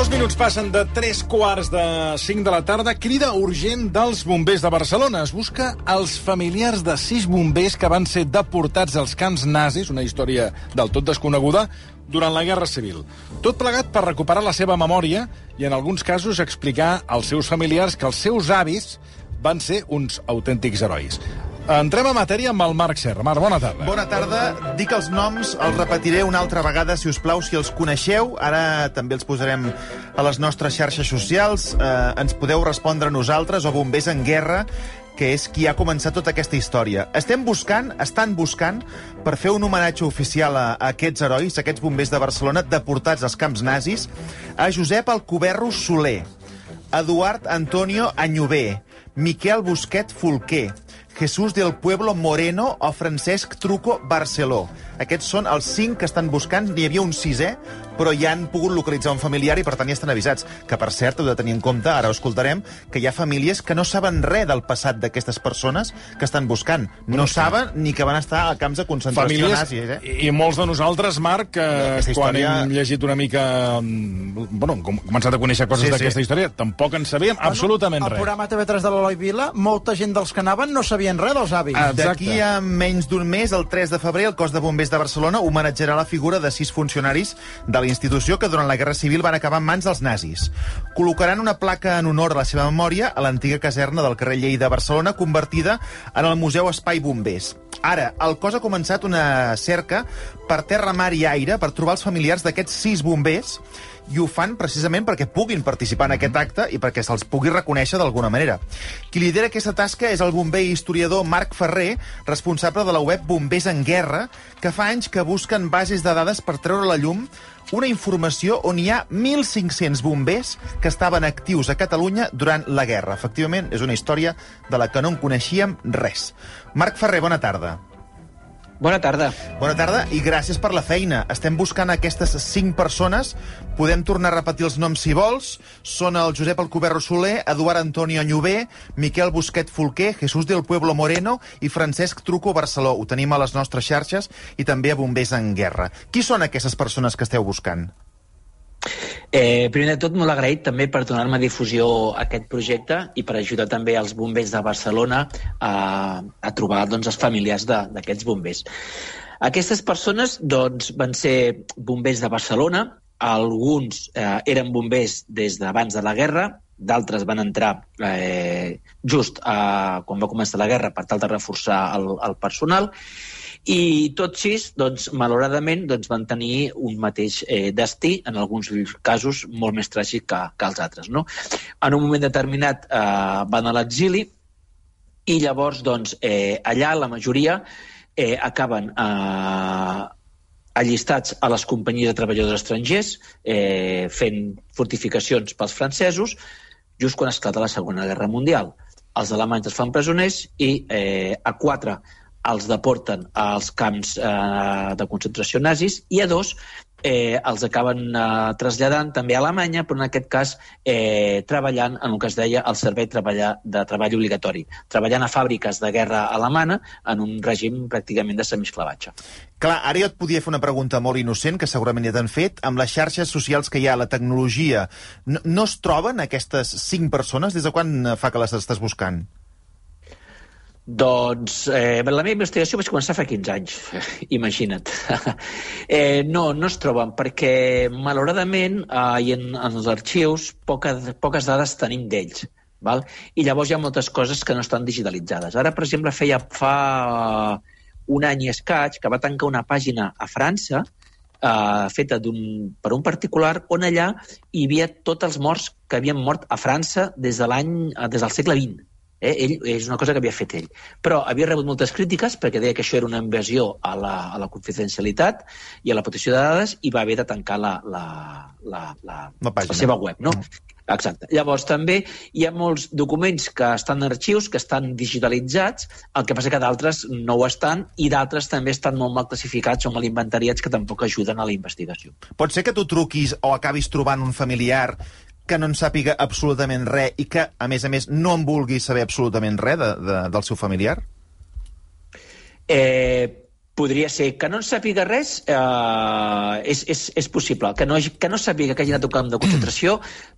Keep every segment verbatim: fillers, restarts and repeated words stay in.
Dos minuts passen de tres quarts de cinc de la tarda. Crida urgent dels bombers de Barcelona. Es busca els familiars de sis bombers que van ser deportats als camps nazis, una història del tot desconeguda, durant la Guerra Civil. Tot plegat per recuperar la seva memòria i, en alguns casos, explicar als seus familiars que els seus avis van ser uns autèntics herois. Entrem a matèria amb el Marc Serra. Marc, bona tarda. Bona tarda. Dic els noms, els repetiré una altra vegada, si us plau, si els coneixeu. Ara també els posarem a les nostres xarxes socials. Eh, ens podeu respondre a nosaltres o Bombers en Guerra, que és qui ha començat tota aquesta història. Estem buscant, estan buscant, per fer un homenatge oficial a, a aquests herois, a aquests bombers de Barcelona deportats als camps nazis, a Josep Alcoberro Soler, Eduard Antonio Añové, Miquel Busquet Folquer, Jesús del Pueblo Moreno o Francesc Truco Barceló. Aquests són els cinc que estan buscant. N'hi havia un sisè, però ja han pogut localitzar un familiar i, per tant, ja estan avisats. Que, per cert, heu de tenir en compte, ara ho escoltarem, que hi ha famílies que no saben res del passat d'aquestes persones que estan buscant. No bueno, saben ni que van estar a camps de concentració nazis. Eh? I molts de nosaltres, Marc, que no, quan història... hem llegit una mica... Bueno, hem començat a conèixer coses sí, d'aquesta sí. història, tampoc en sabíem bueno, absolutament res. El programa T V tres de l'Eloi Vila, molta gent dels que anaven no sabien res dels avis. D'aquí a menys d'un mes, el tres de febrer, el cos de bombers de Barcelona homenatjarà la figura de sis funcionaris de la institució que durant la Guerra Civil van acabar en mans dels nazis. Col·locaran una placa en honor a la seva memòria a l'antiga caserna del carrer Lleida de Barcelona, convertida en el Museu Espai Bombers. Ara, el cos ha començat una cerca per terra, mar i aire per trobar els familiars d'aquests sis bombers, i ho fan precisament perquè puguin participar en aquest acte i perquè se'ls pugui reconèixer d'alguna manera. Qui lidera aquesta tasca és el bomber i historiador Marc Ferrer, responsable de la web Bombers en Guerra, que fa anys que busquen bases de dades per treure a la llum una informació on hi ha mil cinc-cents bombers que estaven actius a Catalunya durant la guerra. Efectivament, és una història de la que no en coneixíem res. Marc Ferrer, bona tarda. Bona tarda. Bona tarda i gràcies per la feina. Estem buscant aquestes cinc persones. Podem tornar a repetir els noms si vols. Són el Josep Alcoberro Soler, Eduard Antonio Añové, Miquel Busquet Folquer, Jesús del Pueblo Moreno i Francesc Truco Barceló. Ho tenim a les nostres xarxes i també a Bombers en Guerra. Qui són aquestes persones que esteu buscant? Eh, primer de tot, molt agraït també per donar-me difusió a aquest projecte i per ajudar també els bombers de Barcelona a, a trobar doncs, els familiars d'aquests bombers. Aquestes persones doncs, van ser bombers de Barcelona, alguns eh, eren bombers des d'abans de la guerra, d'altres van entrar eh, just eh, quan va començar la guerra per tal de reforçar el, el personal, i tots sis, doncs, malauradament, doncs, van tenir un mateix eh, destí, en alguns casos molt més tràgic que, que els altres. No? En un moment determinat eh, van a l'exili i llavors doncs, eh, allà la majoria eh, acaben eh, allistats a les companyies de treballadors estrangers, eh, fent fortificacions pels francesos, just quan esclata la Segona Guerra Mundial. Els alemanys es fan presoners i eh, a quatre els deporten als camps eh, de concentració nazis i a dos eh, els acaben eh, traslladant també a Alemanya, però en aquest cas eh, treballant en el que es deia el servei treballar, de treball obligatori, treballant a fàbriques de guerra alemana en un règim pràcticament de semiesclavatge. Clar, ara jo et podia fer una pregunta molt innocent, que segurament ja t'han fet. Amb les xarxes socials que hi ha, la tecnologia, no, no es troben aquestes cinc persones? Des de quan fa que les estàs buscant? Doncs eh, la meva investigació vaig començar fa quinze anys, imagina't. eh, no, no es troben, perquè malauradament eh, en, en els arxius poques, poques dades tenim d'ells. Val? I llavors hi ha moltes coses que no estan digitalitzades. Ara, per exemple, feia fa un any i escaig que va tancar una pàgina a França eh, feta per un particular on allà hi havia tots els morts que havien mort a França des de l'any des del segle vint. Eh? Ell, és una cosa que havia fet ell. Però havia rebut moltes crítiques perquè deia que això era una invasió a la, a la confidencialitat i a la protecció de dades i va haver de tancar la, la, la, la, la, la seva web. No? Mm. Exacte. Llavors també hi ha molts documents que estan en arxius, que estan digitalitzats, el que passa que d'altres no ho estan i d'altres també estan molt mal classificats o mal inventariats que tampoc ajuden a la investigació. Pot ser que tu truquis o acabis trobant un familiar que no en sàpiga absolutament res i que, a més a més, no en vulgui saber absolutament res de, de, del seu familiar? Eh, Podria ser. Que no en sàpiga res eh, és, és, és possible. Que no, que no sàpiga que hagi anat a un camp de concentració,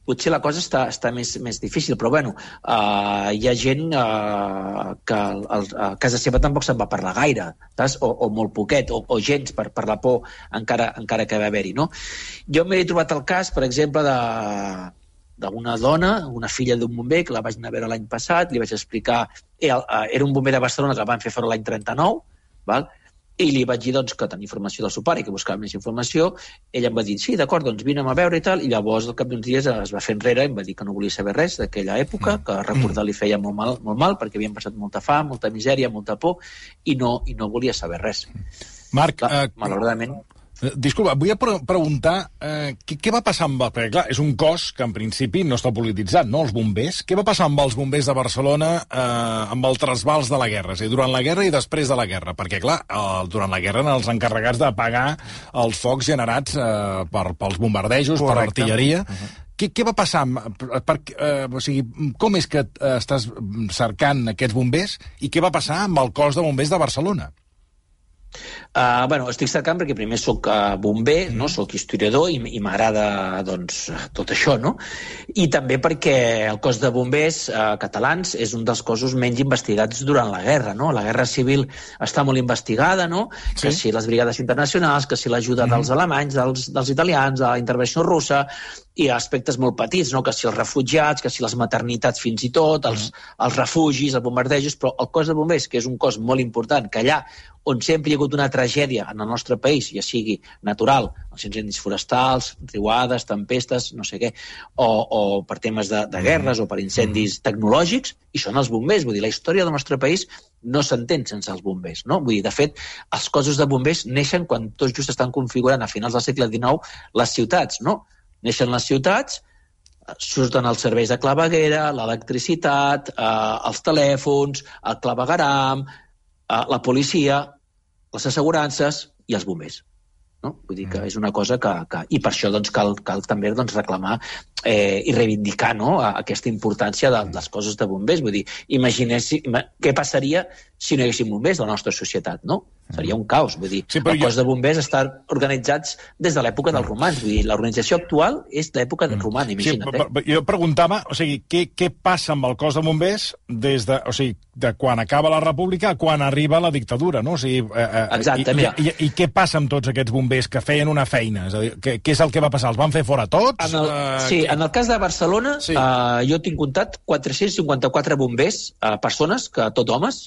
potser la cosa està, està més, més difícil, però bueno, eh, hi ha gent eh, que el, a casa seva tampoc se'n va parlar gaire, saps? O, o molt poquet, o, o gens per, per la por encara, encara que va haver-hi, no? Jo m'he trobat el cas, per exemple, de d'una dona, una filla d'un bomber, que la vaig anar a veure l'any passat, li vaig explicar... Era, era un bomber de Barcelona que el van fer fora l'any trenta-nou, val? I li vaig dir doncs, que tenia informació del seu pare i que buscava més informació. Ella em va dir, sí, d'acord, doncs vinem a veure i tal, i llavors al cap d'uns dies es va fer enrere i em va dir que no volia saber res d'aquella època, que recordar li feia molt mal, molt mal perquè havien passat molta fam, molta misèria, molta por, i no, i no volia saber res. Marc, clar, eh, malauradament... Disculpa, vull pre preguntar eh, què, què va passar amb... Perquè, clar, és un cos que en principi no està polititzat, no?, els bombers. Què va passar amb els bombers de Barcelona eh, amb el trasbals de la guerra? És a dir, durant la guerra i després de la guerra. Perquè, clar, eh, durant la guerra eren els encarregats d'apagar els focs generats eh, per, pels bombardejos, Correcte. Per l'artilleria. Uh-huh. Què, què va passar? Per, per, eh, o sigui, com és que eh, estàs cercant aquests bombers i què va passar amb el cos de bombers de Barcelona? Uh, bueno, estic cercant perquè primer soc uh, bomber, no? Soc historiador i, i m'agrada doncs, tot això, no? I també perquè el cos de bombers uh, catalans és un dels cossos menys investigats durant la guerra, no? La guerra civil està molt investigada, no? Sí. Que si les brigades internacionals, que si l'ajuda mm. dels alemanys, dels, dels italians, de la intervenció russa, i aspectes molt petits, no? Que si els refugiats, que si les maternitats fins i tot, els, els refugis, els bombardejos, però el cos de bombers, que és un cos molt important, que allà on sempre hi ha hagut una tragèdia en el nostre país, ja sigui natural, els incendis forestals, riuades, tempestes, no sé què, o, o per temes de, de guerres o per incendis tecnològics, i són els bombers. Vull dir, la història del nostre país no s'entén sense els bombers, no? Vull dir, de fet, els cossos de bombers neixen quan tots just estan configurant a finals del segle dinou les ciutats, no? Neixen les ciutats, surten els serveis de claveguera, l'electricitat, eh, els telèfons, el clavegueram, eh, la policia, les assegurances i els bombers. No? Vull dir que és una cosa que... que i per això doncs, cal, cal també doncs, reclamar eh, i reivindicar, no?, aquesta importància de, dels cossos de bombers. Vull dir, imagineu què passaria si no hi haguessin bombers a la nostra societat, no? Seria un caos. Vull dir, sí, el cos jo... de bombers estan organitzats des de l'època dels romans. Vull dir, l'organització actual és l'època del romana, imagina't. Sí, eh? Jo preguntava, o sigui, què, què passa amb el cos de bombers des de, o sigui, de quan acaba la república a quan arriba la dictadura, no? O sigui, eh, Exacte, i, i, i, i què passa amb tots aquests bombers que feien una feina? És a dir, què, què és el que va passar? Els van fer fora tots? En el, uh, sí, que... en el cas de Barcelona, sí. uh, jo tinc comptat quatre-cents cinquanta-quatre bombers, uh, persones, que tot homes,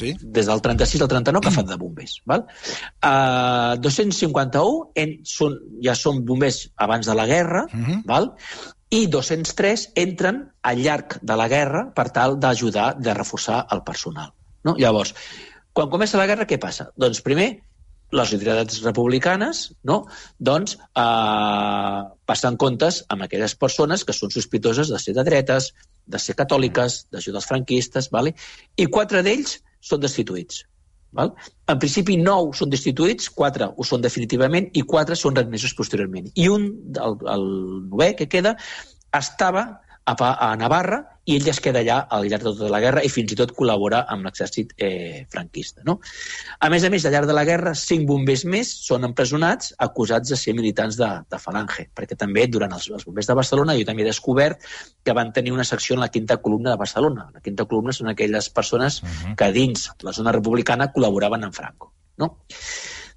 sí. des del trenta-sis al trenta-nou, que fan de bombers. Val? Uh, dos-cents cinquanta-un en, són, ja són bombers abans de la guerra, uh-huh. val? I dos-cents tres entren al llarg de la guerra per tal d'ajudar, de reforçar el personal. No? Llavors, quan comença la guerra, què passa? Doncs primer, les autoritats republicanes, no? doncs, eh, passen comptes amb aquelles persones que són sospitoses de ser de dretes, de ser catòliques, d'ajudar els franquistes, vale? I quatre d'ells són destituïts. Val? En principi, nou són destituïts, quatre ho són definitivament i quatre són readmesos posteriorment. I un, el, el novè que queda, estava a, a Navarra i ell es queda allà al llarg de tota la guerra i fins i tot col·labora amb l'exèrcit eh, franquista. No? A més a més, al llarg de la guerra, cinc bombers més són empresonats acusats de ser militants de, de Falange, perquè també durant els, els bombers de Barcelona jo també he descobert que van tenir una secció en la quinta columna de Barcelona. La quinta columna són aquelles persones uh-huh. que dins la zona republicana col·laboraven amb Franco. No?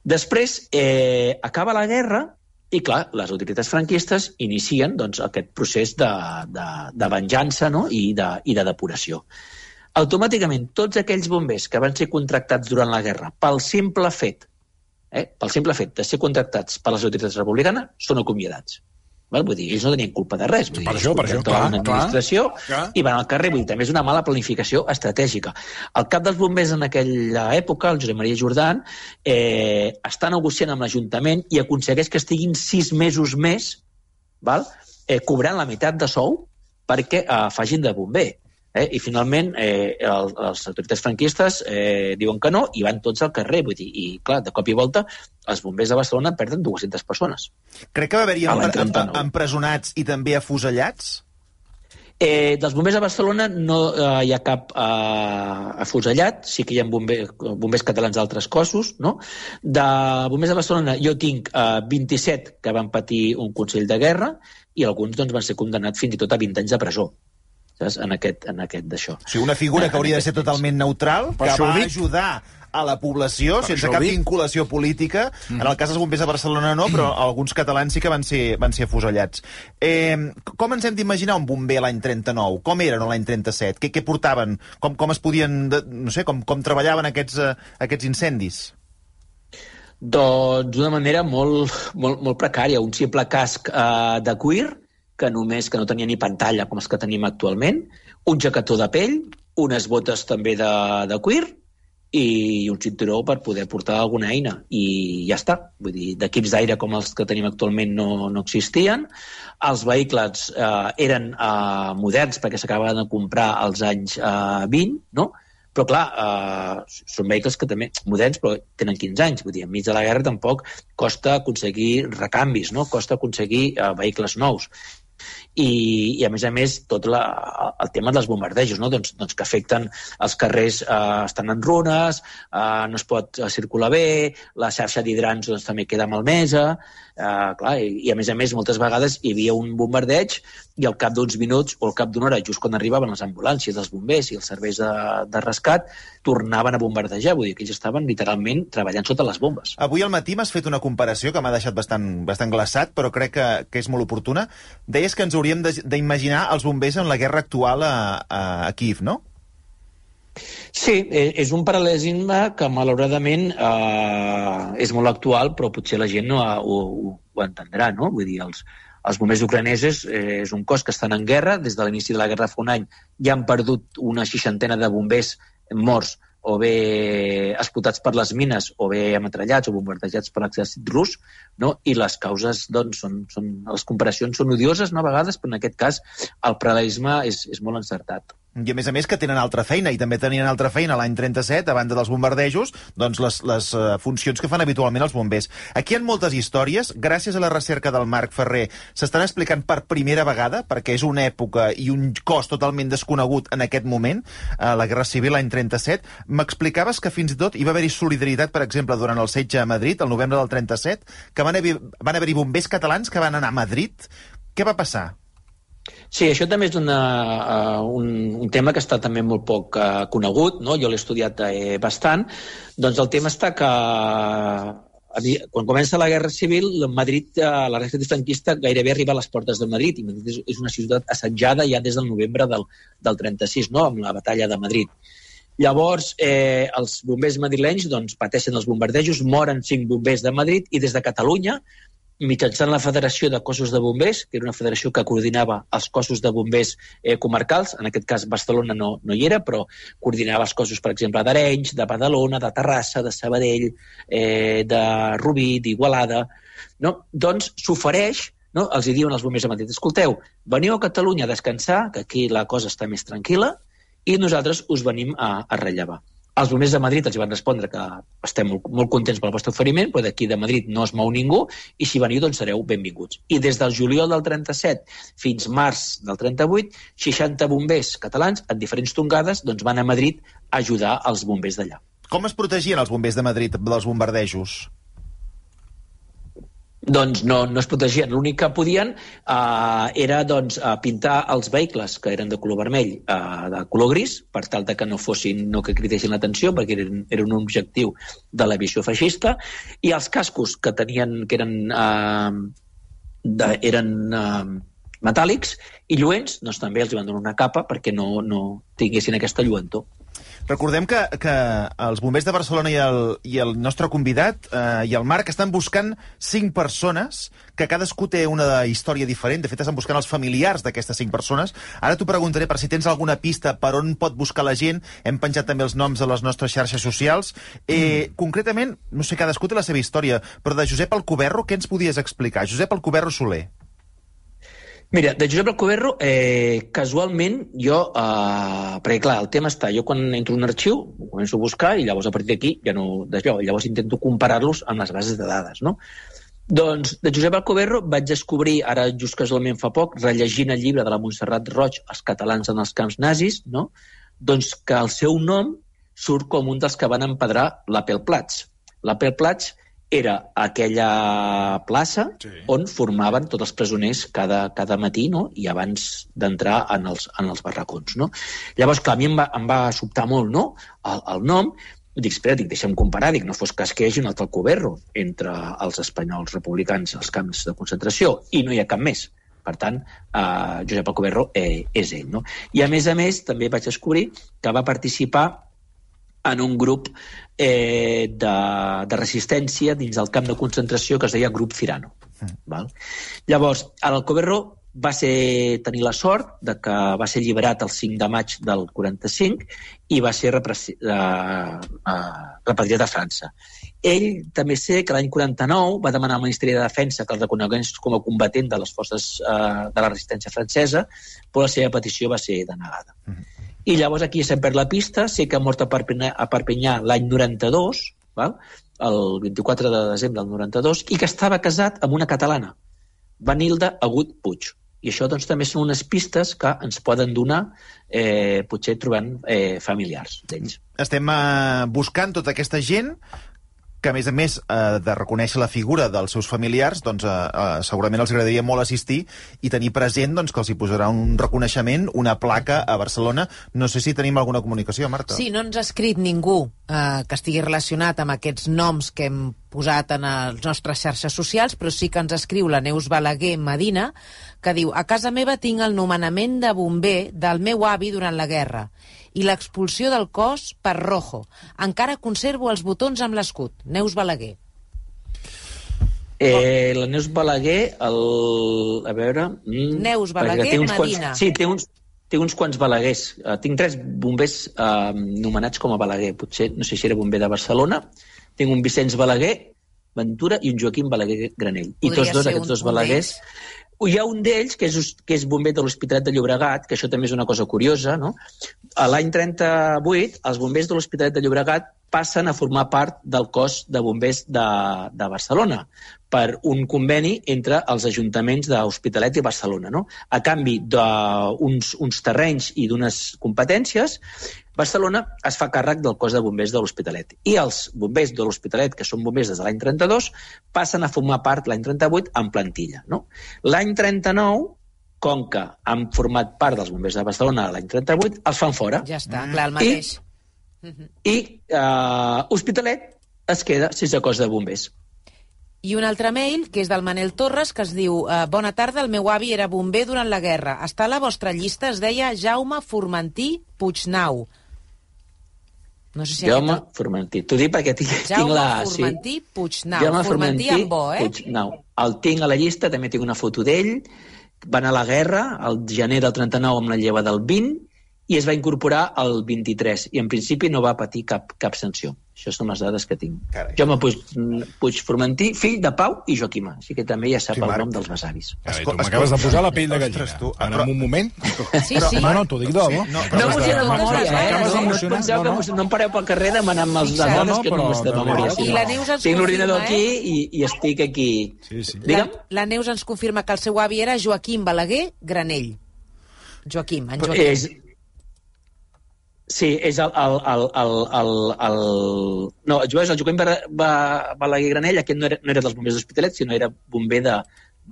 Després, eh, acaba la guerra i, clar, les autoritats franquistes inicien doncs, aquest procés de, de, de venjança, no? I, de, i de depuració. Automàticament, tots aquells bombers que van ser contractats durant la guerra pel simple fet, eh, pel simple fet de ser contractats per les autoritats republicanes, són acomiadats. Val? Vull dir, ells no tenien culpa de res. Vull dir, per això, per això, clar, una administració clar. I van al carrer. Vull dir, també és una mala planificació estratègica. El cap dels bombers en aquella època, el Josep Maria Jordán, eh, està negociant amb l'Ajuntament i aconsegueix que estiguin sis mesos més, val? Eh, cobrant la meitat de sou perquè eh, facin de bomber. Eh? I finalment eh, el, les autoritats franquistes eh, diuen que no i van tots al carrer. Vull dir, i clar, de cop i volta els bombers de Barcelona perden dues-centes persones. Crec que va haver-hi empre empresonats i també afusellats? Eh, dels bombers de Barcelona no eh, hi ha cap eh, afusellat, sí que hi ha bombers, bombers catalans d'altres cossos, no? De bombers de Barcelona jo tinc eh, vint-i-set que van patir un consell de guerra i alguns doncs, van ser condemnats fins i tot a vint anys de presó, saps? En aquest, en aquest d'això. O sigui, una figura que hauria de ser totalment neutral, que va ajudar a la població, per sense cap vinculació política. Mm. En el cas dels bombers de Barcelona no, però alguns catalans sí que van ser, van ser afusellats. Eh, com ens hem d'imaginar un bomber l'any trenta-nou? Com eren l'any trenta-set? Què, què portaven? Com, com es podien... No sé, com, com treballaven aquests, uh, aquests incendis? Doncs d'una manera molt, molt, molt precària. Un simple casc uh, de cuir, que només que no tenia ni pantalla com els que tenim actualment, un jaquetó de pell, unes botes també de, de cuir, i un cinturó per poder portar alguna eina. I ja està. Vull dir, d'equips d'aire com els que tenim actualment no, no existien. Els vehicles eh, eren eh, moderns perquè s'acabaven de comprar als anys eh, vint, no? Però, clar, eh, són vehicles que també moderns, però tenen quinze anys. Vull dir, enmig de la guerra tampoc costa aconseguir recanvis, no? Costa aconseguir eh, vehicles nous. I, i a més a més tot la, el tema dels bombardejos, no? doncs, doncs que afecten els carrers, eh, estan en runes, eh, no es pot circular bé, la xarxa d'hidrants doncs, també queda malmesa, eh, clar, i, i a més a més moltes vegades hi havia un bombardeig i al cap d'uns minuts o al cap d'una hora, just quan arribaven les ambulàncies dels bombers i els serveis de, de rescat, tornaven a bombardejar, vull dir que ells estaven literalment treballant sota les bombes. Avui al matí m'has fet una comparació que m'ha deixat bastant, bastant glaçat, però crec que, que és molt oportuna. Deies que ens hauríem d'imaginar els bombers en la guerra actual a, a, a Kíev, no? Sí, és un paral·lelisme que malauradament eh, és molt actual, però potser la gent no ho, ho, ho entendrà, no? Vull dir, els, els bombers ucranesos eh, és un cos que estan en guerra, des de l'inici de la guerra fa un any ja han perdut una seixantena de bombers morts o bé explotats per les mines, o bé ametrallats o bombardejats per l'exèrcit rus, no? I les causes, doncs, són, són, les comparacions són odioses, no, a vegades, però en aquest cas el paral·lelisme és, és molt encertat. I a més a més que tenen altra feina, i també tenien altra feina l'any trenta-set, a banda dels bombardejos, doncs les, les uh, funcions que fan habitualment els bombers. Aquí hi ha moltes històries, gràcies a la recerca del Marc Ferrer, s'estan explicant per primera vegada, perquè és una època i un cos totalment desconegut en aquest moment, uh, la Guerra Civil l'any trenta-set. M'explicaves que fins i tot hi va haver-hi solidaritat, per exemple, durant el setge a Madrid, el novembre del trenta-set, que van haver, van haver-hi bombers catalans que van anar a Madrid. Què va passar? Sí, això també és una, uh, un, un tema que està també molt poc uh, conegut, no? Jo l'he estudiat eh, bastant. Doncs el tema està que uh, quan comença la Guerra Civil, Madrid, uh, la Guerra franquista gairebé arriba a les portes de Madrid, i Madrid és, és una ciutat assetjada ja des del novembre del, del trenta-sis, no? Amb la batalla de Madrid. Llavors, eh, els bombers madrilenys doncs, pateixen els bombardejos, moren cinc bombers de Madrid, i des de Catalunya, mitjançant la Federació de Cossos de Bombers, que era una federació que coordinava els cossos de bombers eh, comarcals, en aquest cas Barcelona no, no hi era, però coordinava els cossos, per exemple, d'Arenys, de Badalona, de Terrassa, de Sabadell, eh, de Rubí, d'Igualada, no? Doncs s'ofereix, no? Els hi diuen els bombers a Madrid, escolteu, veniu a Catalunya a descansar, que aquí la cosa està més tranquil·la, i nosaltres us venim a, a rellevar. Els bombers de Madrid els van respondre que estem molt, molt contents pel vostre oferiment, però d'aquí de Madrid no es mou ningú, i si veniu, doncs sereu benvinguts. I des del juliol del trenta-set fins març del trenta-vuit, seixanta bombers catalans, en diferents tongades, doncs van a Madrid a ajudar els bombers d'allà. Com es protegien els bombers de Madrid dels bombardejos? Doncs no, no es protegien. L'únic que podien eh, era doncs, eh, pintar els vehicles, que eren de color vermell, eh, de color gris, per tal de que no fossin, no que cridessin l'atenció, perquè eren, eren un objectiu de la visió feixista, i els cascos que tenien, que eren, eh, de, eren eh, metàl·lics i lluents, doncs també els van donar una capa perquè no, no tinguessin aquesta lluentor. Recordem que, que els bombers de Barcelona i el, i el nostre convidat eh, i el Marc estan buscant cinc persones, que cadascú té una història diferent. De fet, estan buscant els familiars d'aquestes cinc persones. Ara t'ho preguntaré per si tens alguna pista per on pot buscar la gent. Hem penjat també els noms a les nostres xarxes socials. Eh, mm. Concretament, no sé, cadascú té la seva història, però de Josep Alcoberro, què ens podies explicar? Josep Alcoberro Soler. Mira, de Josep Alcoberro, eh, casualment, jo, eh, perquè clar, el tema està, jo quan entro en un arxiu, ho començo a buscar i llavors a partir d'aquí ja no desllò, llavors intento comparar-los amb les bases de dades, no? Doncs de Josep Alcoberro vaig descobrir, ara just casualment fa poc, rellegint el llibre de la Montserrat Roig, Els catalans en els camps nazis, no? Doncs que el seu nom surt com un dels que van empedrar l'Appelplatz. L'Appelplatz era aquella plaça sí. on formaven tots els presoners cada, cada matí, no? I abans d'entrar en, els, en els barracons. No? Llavors, clar, a mi em va, em va sobtar molt, no? el, el nom. Dic, espera, dic, deixa'm comparar, dic, no fos cas que hi hagi un altre Alcoberro entre els espanyols republicans als camps de concentració, i no hi ha cap més. Per tant, eh, Josep Alcoberro eh, és ell. No? I a més a més, també vaig descobrir que va participar en un grup eh, de, de resistència dins del camp de concentració que es deia Grup Cirano. Mm. Val? Llavors, l'Alcoberro va ser, tenir la sort de que va ser alliberat el cinc de maig del quaranta-cinc i va ser repressi, uh, uh, repatriat a França. Ell també sé que l'any quaranta-nou va demanar al Ministeri de Defensa que el reconegués com a combatent de les forces uh, de la resistència francesa, però la seva petició va ser denegada. Mm-hmm. I llavors aquí se'n perd la pista, sé que ha mort a Perpinyà, a Perpinyà l'any noranta-dos, val? El vint-i-quatre de desembre del noranta-dos, i que estava casat amb una catalana, Vanilda Agut Puig. I això doncs, també són unes pistes que ens poden donar, eh, potser trobant eh, familiars d'ells. Estem eh, buscant tota aquesta gent que, a més a més eh, de reconèixer la figura dels seus familiars, doncs, eh, eh, segurament els agradaria molt assistir i tenir present doncs, que els hi posarà un reconeixement, una placa a Barcelona. No sé si tenim alguna comunicació, Marta. Sí, no ens ha escrit ningú eh, que estigui relacionat amb aquests noms que hem posat en les nostres xarxes socials, però sí que ens escriu la Neus Balaguer Medina, que diu: a casa meva tinc el nomenament de bomber del meu avi durant la guerra i l'expulsió del cos per Rojo. Encara conservo els botons amb l'escut. Neus Balaguer. Eh, la Neus Balaguer, el... a veure... Mm, Neus Balaguer Medina. Quants... Sí, té uns, té uns quants Balaguers. Uh, tinc tres bombers uh, nomenats com a Balaguer. Potser, no sé si era bomber de Barcelona. Tinc un Vicenç Balaguer Ventura i un Joaquim Balaguer Granell. Podria I tots dos, aquests dos Balaguers... Hi ha un d'ells, que és, que és bomber de l'Hospitalet de Llobregat, que això també és una cosa curiosa, no? A l'any trenta-vuit, els bombers de l'Hospitalet de Llobregat passen a formar part del cos de bombers de, de Barcelona per un conveni entre els ajuntaments d'Hospitalet i Barcelona, no? A canvi d'uns uns terrenys i d'unes competències, Barcelona es fa càrrec del cos de bombers de l'Hospitalet. I els bombers de l'Hospitalet, que són bombers des de l'any trenta-dos, passen a formar part l'any trenta-vuit en plantilla, no? L'any trenta-nou, com que han format part dels bombers de Barcelona l'any trenta-vuit, els fan fora. Ja està, clar, el mateix. I, i uh, Hospitalet es queda sense cos de bombers. I un altre mail, que és del Manel Torres, que es diu: bona tarda, el meu avi era bomber durant la guerra. Està a la vostra llista, es deia Jaume Formentí Puignau. No sé si Jaume aquest... Formentí. T'ho dic perquè tinc, Jaume tinc la... Formentí sí. Puignau. Jaume Formentí, Formentí amb bo, eh? Puignau. El tinc a la llista, també tinc una foto d'ell. Va anar a la guerra, al gener del trenta-nou amb la lleva del vint, i es va incorporar al vint-i-tres, i en principi no va patir cap, cap sanció. Això són les dades que tinc. Carai. Jaume Puig, Puig Formentí, fill de Pau i Joaquima, així que també ja sap sí, el nom dels besavis. Carai, tu m'acabes de posar la pell de gallina. Ostres, tu, en però... un moment... Sí, sí. No, no, t'ho dic de debò. No, no emociono de memòria, eh? No, no, penseu no, no. que no em pareu pel carrer demanant-me les dades no, no, que no m'és de memòria. I la Neus ens tinc l'ordinador eh? aquí i, i estic aquí. Sí, sí. La, la Neus ens confirma que el seu avi era Joaquim Balaguer Granell. Joaquim, en Joaquim. És... Sí, és el... el, el, el, el, el... No, el Joaquim Balaguer Granell, aquest no era, no era dels bombers d'Hospitalet, sinó era bomber de,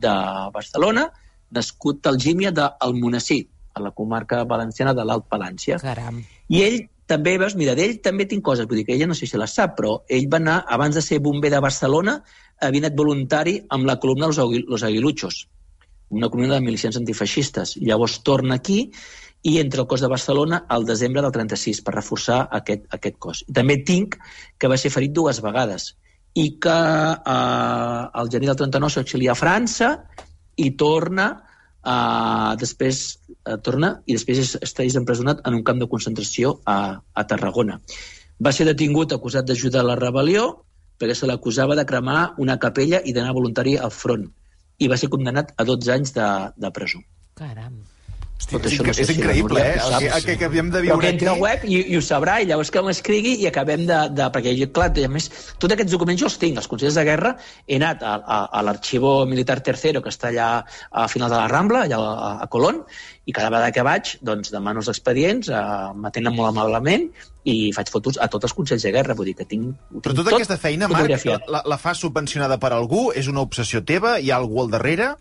de Barcelona, nascut a Algímia d'Almonesir, a la comarca valenciana de l'Alt Palància. Caram. I ell també, veus, mira, d'ell també tinc coses, vull dir que ella no sé si les sap, però ell va anar, abans de ser bomber de Barcelona, havia anat voluntari amb la columna Los, Aguil Los Aguiluchos, una columna de milicians antifeixistes. Llavors torna aquí i entra al cos de Barcelona al desembre del trenta-sis per reforçar aquest, aquest cos. I també tinc que va ser ferit dues vegades i que eh, al gener del trenta-nou s'exilia a França i torna, eh, després eh, torna i després és, està empresonat en un camp de concentració a, a Tarragona. Va ser detingut acusat d'ajudar a la rebel·lió perquè se l'acusava de cremar una capella i d'anar voluntari al front, i va ser condemnat a dotze anys de, de presó. Caram. Hosti, Tot és, això no sé és si la increïble, Núria eh? ho El sap. que, el que acabem de Però viure que entri al aquí... web i, i ho sabrà, i llavors que m'escrigui i acabem de... de perquè, jo, clar, a més, tots aquests documents jo els tinc, els consells de guerra, he anat a, a, a l'arxivo militar tercero, que està allà a final de la Rambla, allà a, a Colón, i cada vegada que vaig, doncs, demano els expedients, eh, m'atenen molt amablement, i faig fotos a tots els consells de guerra, vull dir que tinc... Però tota tot aquesta feina, Marc, fotografiat. la, la fas subvencionada per algú? És una obsessió teva? Hi ha algú al darrere?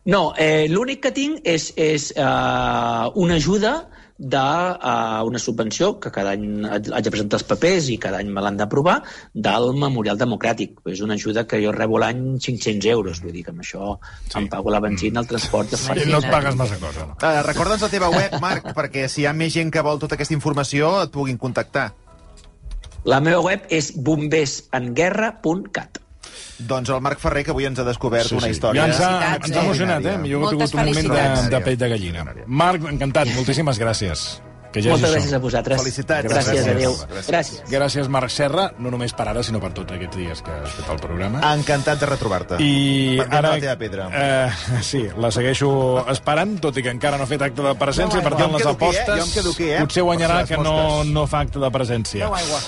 No, eh, l'únic que tinc és, és uh, una ajuda d'una uh, subvenció, que cada any haig de presentar els papers i cada any me l'han d'aprovar, del Memorial Democràtic. És una ajuda que jo rebo l'any cinc-cents euros, vull dir que amb això sí. em pago la benzina, el transport... I no et pagues massa cosa, no? Uh, Recorda'ns la teva web, Marc, perquè si hi ha més gent que vol tota aquesta informació et puguin contactar. La meva web és bombers en guerra punt cat. Doncs el Marc Ferrer, que avui ens ha descobert Sí, sí. una història... Ja ens ha, Felicitats, ens ha eh? emocionat, eh? Jo he Moltes tingut un moment de, felicitats. de pell de gallina. Marc, encantat, moltíssimes gràcies. Que ja Moltes gràcies a vosaltres. Felicitats. Gràcies, Gràcies. adéu. Gràcies. Gràcies. Gràcies, Marc Serra, no només per ara, sinó per tots aquests dies que has fet el programa. Encantat de retrobar-te. I Pendent ara... de la teva pedra. Eh, sí, la segueixo esperant, tot i que encara no ha fet acte de presència, Deu per aigua. tant, Jo em les quedo aquí, eh? apostes Jo em quedo aquí, eh? potser guanyarà Per si les que no, mosques. no fa acte de presència. Beu aigua.